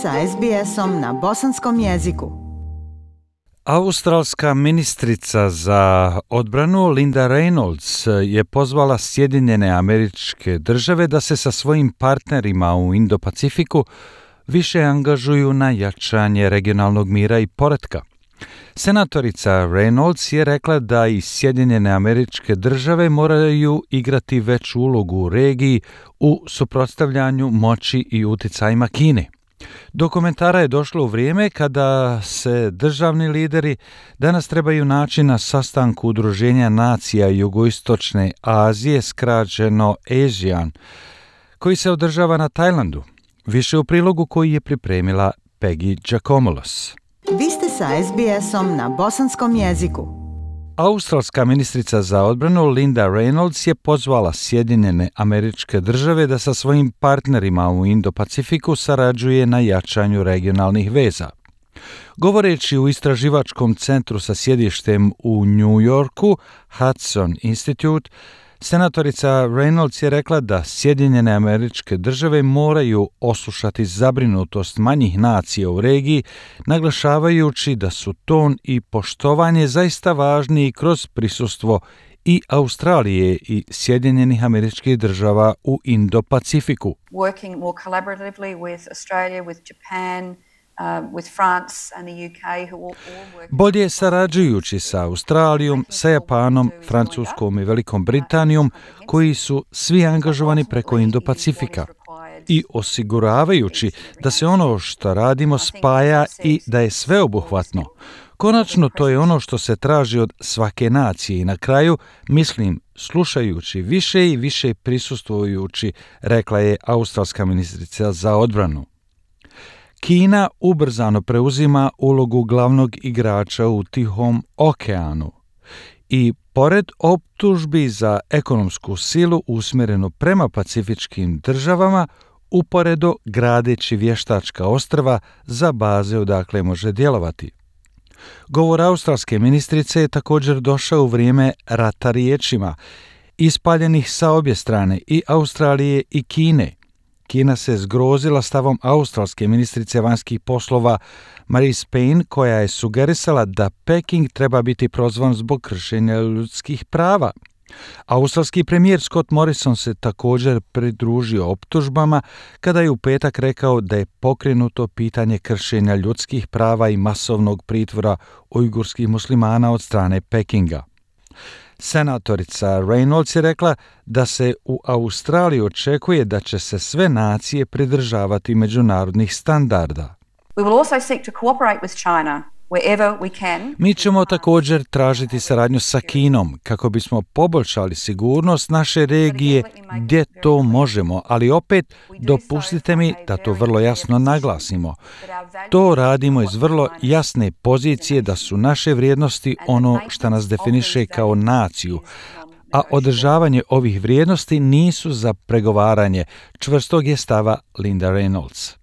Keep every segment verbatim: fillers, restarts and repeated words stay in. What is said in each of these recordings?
sa es be esom na bosanskom jeziku. Australska ministrica za odbranu Linda Reynolds je pozvala Sjedinjene Američke Države da se sa svojim partnerima u Indo-Pacifiku više angažuju na jačanje regionalnog mira i poretka. Senatorica Reynolds je rekla da i Sjedinjene Američke Države moraju igrati veću ulogu u regiji u suprotstavljanju moći i uticajima Kine. Do komentara je došlo u vrijeme kada se državni lideri danas trebaju naći na sastanku Udruženja nacija Jugoistočne Azije, skraćeno ASEAN, koji se održava na Tajlandu. Više u prilogu koji je pripremila Peggy Giacomolos. Vi ste sa es be esom na bosanskom jeziku. Australska ministrica za odbranu Linda Reynolds je pozvala Sjedinjene Američke Države da sa svojim partnerima u Indo-Pacifiku sarađuje na jačanju regionalnih veza. Govoreći u istraživačkom centru sa sjedištem u New Yorku, Hudson Institute, senatorica Reynolds je rekla da Sjedinjene Američke Države moraju oslušati zabrinutost manjih nacija u regiji, naglašavajući da su ton i poštovanje zaista važni kroz prisustvo i Australije i Sjedinjenih Američkih Država u Indo-Pacifiku. Working more collaboratively with Australia, with Japan, Uh, with France and the U K, who all, all work... Bolje sarađujući sa Australijom, sa Japanom, Francuskom i Velikom Britanijom, koji su svi angažovani preko Indo-Pacifika, i osiguravajući da se ono što radimo spaja i da je sveobuhvatno. Konačno, to je ono što se traži od svake nacije i na kraju, mislim, slušajući više i više prisustvujući, rekla je australska ministrica za odbranu. Kina ubrzano preuzima ulogu glavnog igrača u Tihom okeanu i pored optužbi za ekonomsku silu usmjerenu prema pacifičkim državama, uporedo gradeći vještačka ostrva za baze odakle može djelovati. Govor australske ministrice je također došao u vrijeme rata riječima, ispaljenih sa obje strane i Australije i Kine. Kina se zgrozila stavom australske ministrice vanjskih poslova Marise Payne, koja je sugerisala da Peking treba biti prozvan zbog kršenja ljudskih prava. Australski premijer Scott Morrison se također pridružio optužbama kada je u petak rekao da je pokrenuto pitanje kršenja ljudskih prava i masovnog pritvora ujgurskih muslimana od strane Pekinga. Senatorica Reynolds je rekla da se u Australiji očekuje da će se sve nacije pridržavati međunarodnih standarda. We will also seek to cooperate with China wherever we can. Mi ćemo također tražiti saradnju sa Kinom kako bismo poboljšali sigurnost naše regije gdje to možemo, ali opet dopustite mi da to vrlo jasno naglasimo. To radimo iz vrlo jasne pozicije da su naše vrijednosti ono što nas definiše kao naciju, a održavanje ovih vrijednosti nisu za pregovaranje, čvrstog je stava Linda Reynolds.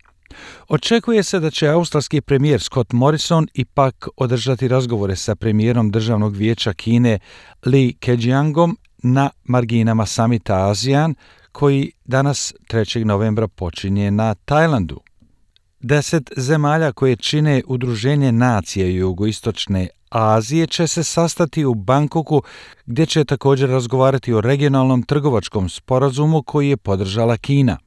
Očekuje se da će australski premijer Scott Morrison ipak održati razgovore sa premijerom Državnog vijeća Kine Li Keqiangom na marginama samita ASEAN, koji danas trećeg novembra počinje na Tajlandu. Deset zemalja koje čine Udruženje nacije Jugoistočne Azije će se sastati u Bangkoku, gdje će također razgovarati o regionalnom trgovačkom sporazumu koji je podržala Kina.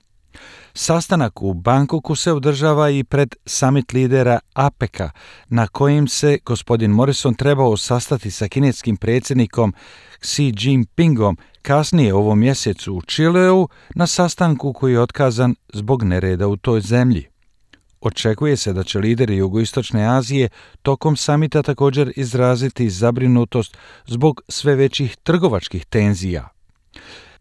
Sastanak u Bangkoku se održava i pred summit lidera APEC-a, na kojim se gospodin Morrison trebao sastati sa kineskim predsjednikom Xi Jinpingom kasnije u ovom mjesecu u Čileu na sastanku koji je otkazan zbog nereda u toj zemlji. Očekuje se da će lideri Jugoistočne Azije tokom samita također izraziti zabrinutost zbog sve većih trgovačkih tenzija.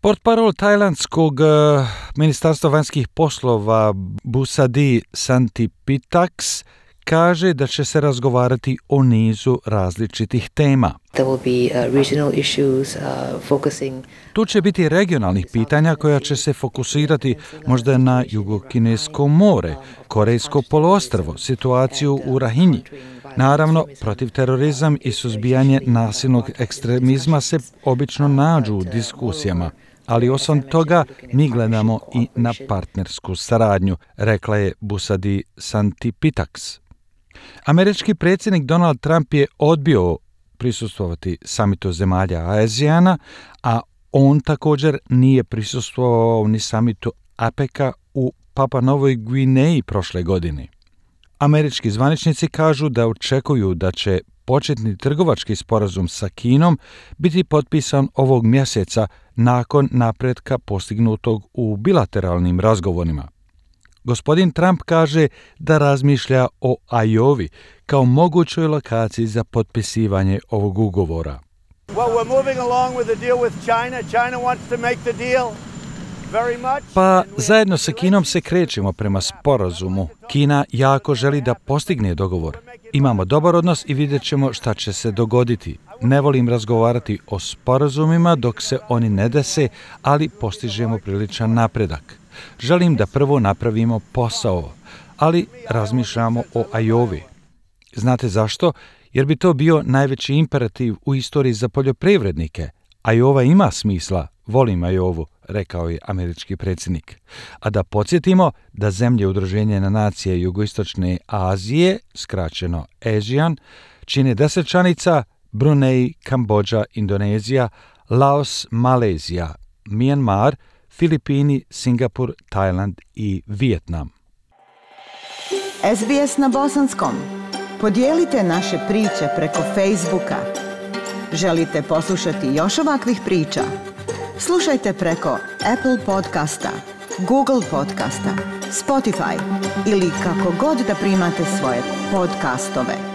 Portparol tajlandskog uh, ministarstva vanjskih poslova Busadi Santipitaks kaže da će se razgovarati o nizu različitih tema. There will be, uh, regional issues, uh, focusing... Tu će biti regionalnih pitanja koja će se fokusirati možda na Jugokinesko more, Korejsko poluostrvo, situaciju u Rahinji. Naravno, protiv terorizam i suzbijanje nasilnog ekstremizma se obično nađu u diskusijama. ali osim toga mi gledamo i na partnersku saradnju, rekla je Busadi Santipitaks. Američki predsjednik Donald Trump je odbio prisustvovati samitu zemalja ASEANA, a on također nije prisustvovao ni samitu APEC-a u Papua Novoj Gvineji prošle godine. Američki zvaničnici kažu da očekuju da će početni trgovački sporazum sa Kinom biti potpisan ovog mjeseca nakon napretka postignutog u bilateralnim razgovorima. Gospodin Trump kaže da razmišlja o Iowi kao mogućoj lokaciji za potpisivanje ovog ugovora. Well, we're moving along with the deal with China. China wants to make the deal. Pa zajedno sa Kinom se krećemo prema sporazumu. Kina jako želi da postigne dogovor. Imamo dobar odnos i vidjet ćemo šta će se dogoditi. Ne volim razgovarati o sporazumima dok se oni ne dese, ali postižemo priličan napredak. Želim da prvo napravimo posao, ali razmišljamo o Iowi. Znate zašto? Jer bi to bio najveći imperativ u istoriji za poljoprivrednike. Iowa ima smisla, volim Iowu, rekao je američki predsjednik. A da podsjetimo da zemlje Udruženja nacija Jugoistočne Azije, skraćeno ASEAN, čine deset članica: Brunei, Kambodža, Indonezija, Laos, Malezija, Myanmar, Filipini, Singapur, Tajland i Vijetnam. S B S na bosanskom. Podijelite naše priče preko Facebooka. Želite poslušati još ovakvih priča? Slušajte preko Apple podcasta, Google podcasta, Spotify ili kako god da primate svoje podcastove.